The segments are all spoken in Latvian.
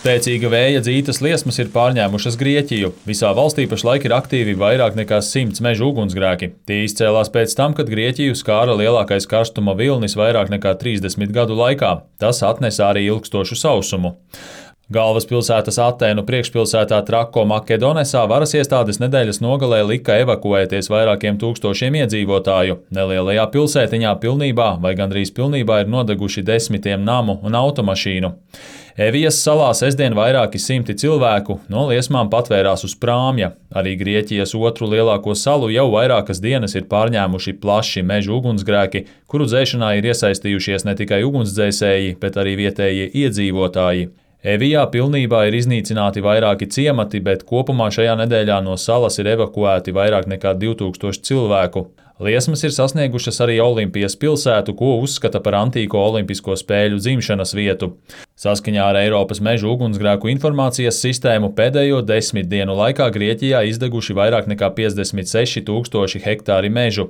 Spēcīga vēja dzītas liesmas ir pārņēmušas Grieķiju. Visā valstī pašlaik ir aktīvi vairāk nekā 100 meža ugunsgrēki. Tie izcēlās pēc tam, kad Grieķiju skāra lielākais karstuma vilnis vairāk nekā 30 gadu laikā. Tas atnesa arī ilgstošu sausumu. Galvaspilsētas Atēnu priekšpilsētā Trako Makedonesā varas iestādes nedēļas nogalē lika evakuēties vairākiem tūkstošiem iedzīvotāju. Nelielajā pilsētiņā pilnībā vai gandrīz pilnībā ir nodeguši desmitiem namu un automašīnu. Evijas salā sestdien vairāki simti cilvēku no liesmām patvērās uz prāmja. Arī Grieķijas otru lielāko salu jau vairākas dienas ir pārņēmuši plaši meža ugunsgrēki, kuru dzēšanā ir iesaistījušies ne tikai ugunsdzēsēji, bet arī vietējie iedzīvotāji. Evijā pilnībā ir iznīcināti vairāki ciemati, bet kopumā šajā nedēļā no salas ir evakuēti vairāk nekā 2000 cilvēku. Liesmas ir sasniegušas arī Olimpijas pilsētu, ko uzskata par antīko olimpisko spēļu dzimšanas vietu. Saskaņā ar Eiropas mežu ugunsgrēku informācijas sistēmu pēdējo 10 dienu laikā Grieķijā izdeguši vairāk nekā 56 000 hektāri mežu.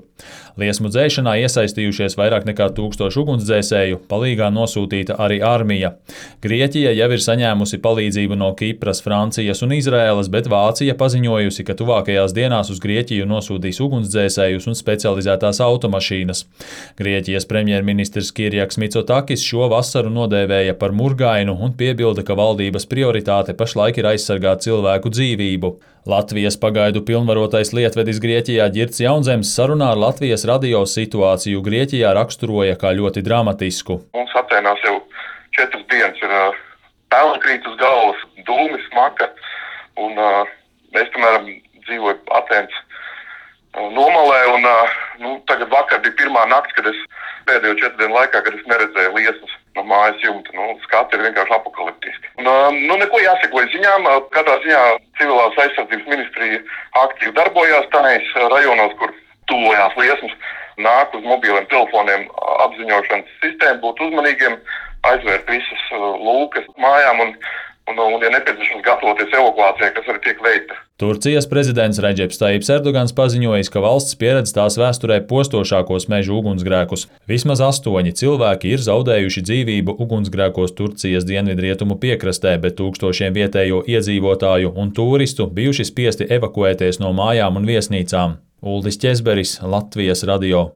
Liesmu dzēšanā iesaistījušies vairāk nekā 1000 ugunsdzēsēju, palīgā nosūtīta arī armija. Grieķija jau ir saņēmusi palīdzību no Kipras, Francijas un Izraēlas, bet Vācija paziņojusi, ka tuvākajās dienās uz Grieķiju nosūtīs ugunsdzēsējus un specializētās automašīnas. Grieķijas premjerministrs Kirjaks Mitsotakis šo vasaru nodēvēja par murgainu un piebilda, ka valdības prioritāte pašlaik ir aizsargāt cilvēku dzīvību. Latvijas pagaidu pilnvarotais lietvedis Grieķijā Ģirds Jaunzems sarunā ar Latvijas radio situāciju Grieķijā raksturoja kā ļoti dramatisku. Mums Atēnās jau 4 dienas ir pelni krīt uz galvas, dūmi, smaka, un mēs, piemēram, dzīvoju Atēnas nomalē, un tagad vakar bija pirmā nakts, kad es pēdējo 4 dienu laikā, kad es neredzēju liesmas no mājas jumta. Skati ir vienkārši apokaliptiski. Neko jāseko ziņām. Katrā ziņā civilās aizsardzības ministrija aktīvi darbojās tajos rajonos, kur tuvojās liesmas. Nāk uz mobiliem telefoniem apziņošanas sistēmu, būt uzmanīgiem, aizvērt visas lūkas mājām un ja nepieciešams, gatavoties evakuācijai, kas arī tiek veikta. Turcijas prezidents Redžeps Tajibs Erdogans paziņojis, ka valsts pieredz tās vēsturē postošākos mežu ugunsgrēkus. Vismaz 8 cilvēki ir zaudējuši dzīvību ugunsgrēkos Turcijas dienvidrietumu piekrastē, bet tūkstošiem vietējo iedzīvotāju un turistu bijuši spiesti evakuēties no mājām un viesnīcām. Uldis Ķezberis, Latvijas radio.